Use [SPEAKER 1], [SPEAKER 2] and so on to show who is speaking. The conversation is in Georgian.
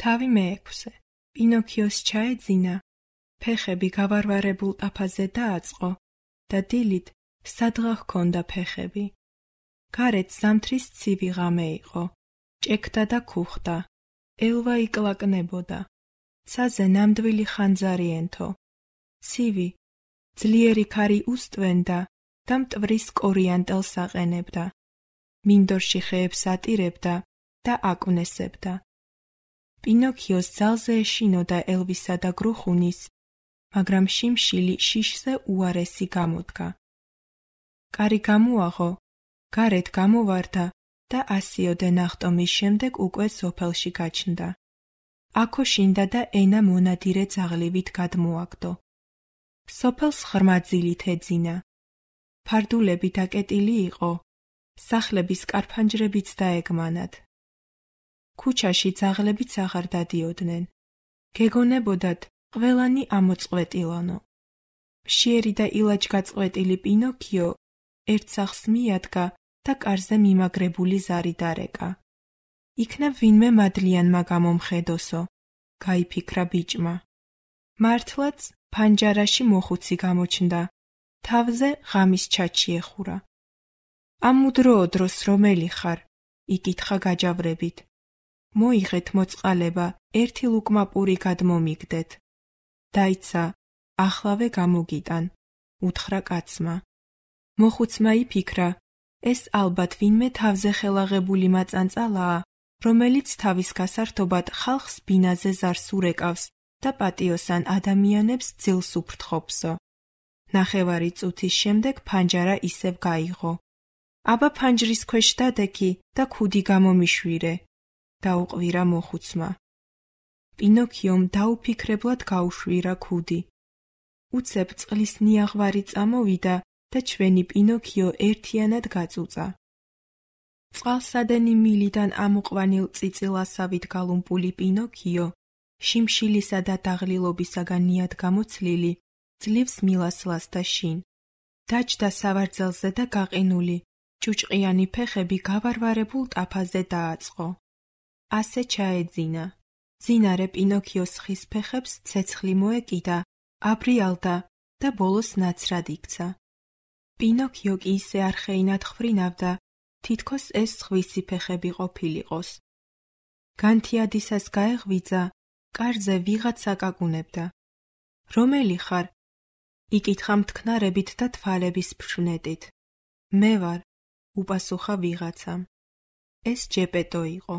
[SPEAKER 1] თავი მეექვსე. პინოქიოს ჩაეძინა, ფეხები გავარვარებულ ტაფაზე დააწყო და დილით სადღა ჰქონდა ფეხები. გარეთ ზამთრის ცივი ღამე იყო, ჭექდა და ქუხდა, ელვა იკლაკნებოდა. ცაზე ნამდვილი ხანძარი ენთო. ცივი, ძლიერი ქარი უსტვენდა და მტვრის კორიანტელს აყენებდა. მინდორში ხეებს ატირებდა და აკვნესებდა. პინოქიოს ძალზე ეშინოდა ელვისა და გრუხუნის, მაგრამ შიმშილი შიშზე უარესი გამოდგა. კარი გამოაღო, გარეთ გამოვარდა და ასიოდე ნახტომის შემდეგ უკვე სოფელში გაჩნდა. აქო შინდა და ენა მონადირე ძაღლივით გადმოაგდო. სოფელს ღრმა ძილით ეძინა. ფარდულები დაკეტილი იყო, სახლების კარფანჯრებიც დაეგმანათ. ქუჩაში ძაღლებიც აღარ დადიოდნენ. გეგონებოდათ ყველანი ამოწყვეტილანო. მშიერი და ილაჯგაწყვეტილი პინოქიო ერთ სახლს მიადგა და კარზე მიმაგრებული ზარი დარეკა. იქნებ ვინმე მადლიანმა გამომხედოსო, გაიფიქრა ბიჭმა. მართლაც ფანჯარაში მოხუცი გამოჩნდა, თავზე ღამის ჩაჩი ეხურა. ამ მუდროო დროს რომელი ხარ? იკითხა გაჯავრებით. მოიღეთ მოწყალება, ერთი ლუკმა პური გადმომიგდეთ. დაიცა, ახლავე გამოგიტან, უთხრა კაცმა. მოხუცმა იფიქრა, ეს ალბათ ვინმე თავზე ხელაღებული მაწანწალაა, რომელიც თავის გასართობად ხალხს ბინაზე ზარს ურეკავს და პატიოსან ადამიანებს ძილს უფრთხობსო. ნახევარი წუთის შემდეგ ფანჯარა ისევ გაიღო. აბა ფანჯრის ქვეშ დადექი და ქუდი გამომიშვირე, დაუყვირა მოხუცმა. პინოქიომ დაუფიქრებლად გაუშვირა ქუდი. უცებ წყლის ნიაღვარი წამოვიდა და ჩვენი პინოქიო ერთიანად გაწუწა. წყალსადენი მილიდან ამოყვანილ წიწილასავით გალუმპული პინოქიო, შიმშილისა და დაღლილობისაგან ნიად გამოცლილი, ძლივს მილასლას და შინ. დაჯდა სავარძელზე და გაყინული, ჭუჭყიანი ფეხები გავარვარებულ ტაფაზე დააწყო. ასე ჩაეძინა. ძინარე პინოქიოს ხის ფეხებს ცეცხლი მოეკიდა, აბრიალდა და ბოლოს ნაცრად იქცა. პინოქიო კი ისე არხეინად ხვრინავდა, თითქოს ეს სხვისი ფეხები ყოფილიყოს. განთიადისას გაეღვიძა, კარზე ვიღაცა გაკუნებდა. რომელი ხარ? იკითხა მთქნარებით და თვალების ფშვენებით. მე ვარ, უპასუხა ვიღაცამ. ეს ჯეპეტო იყო.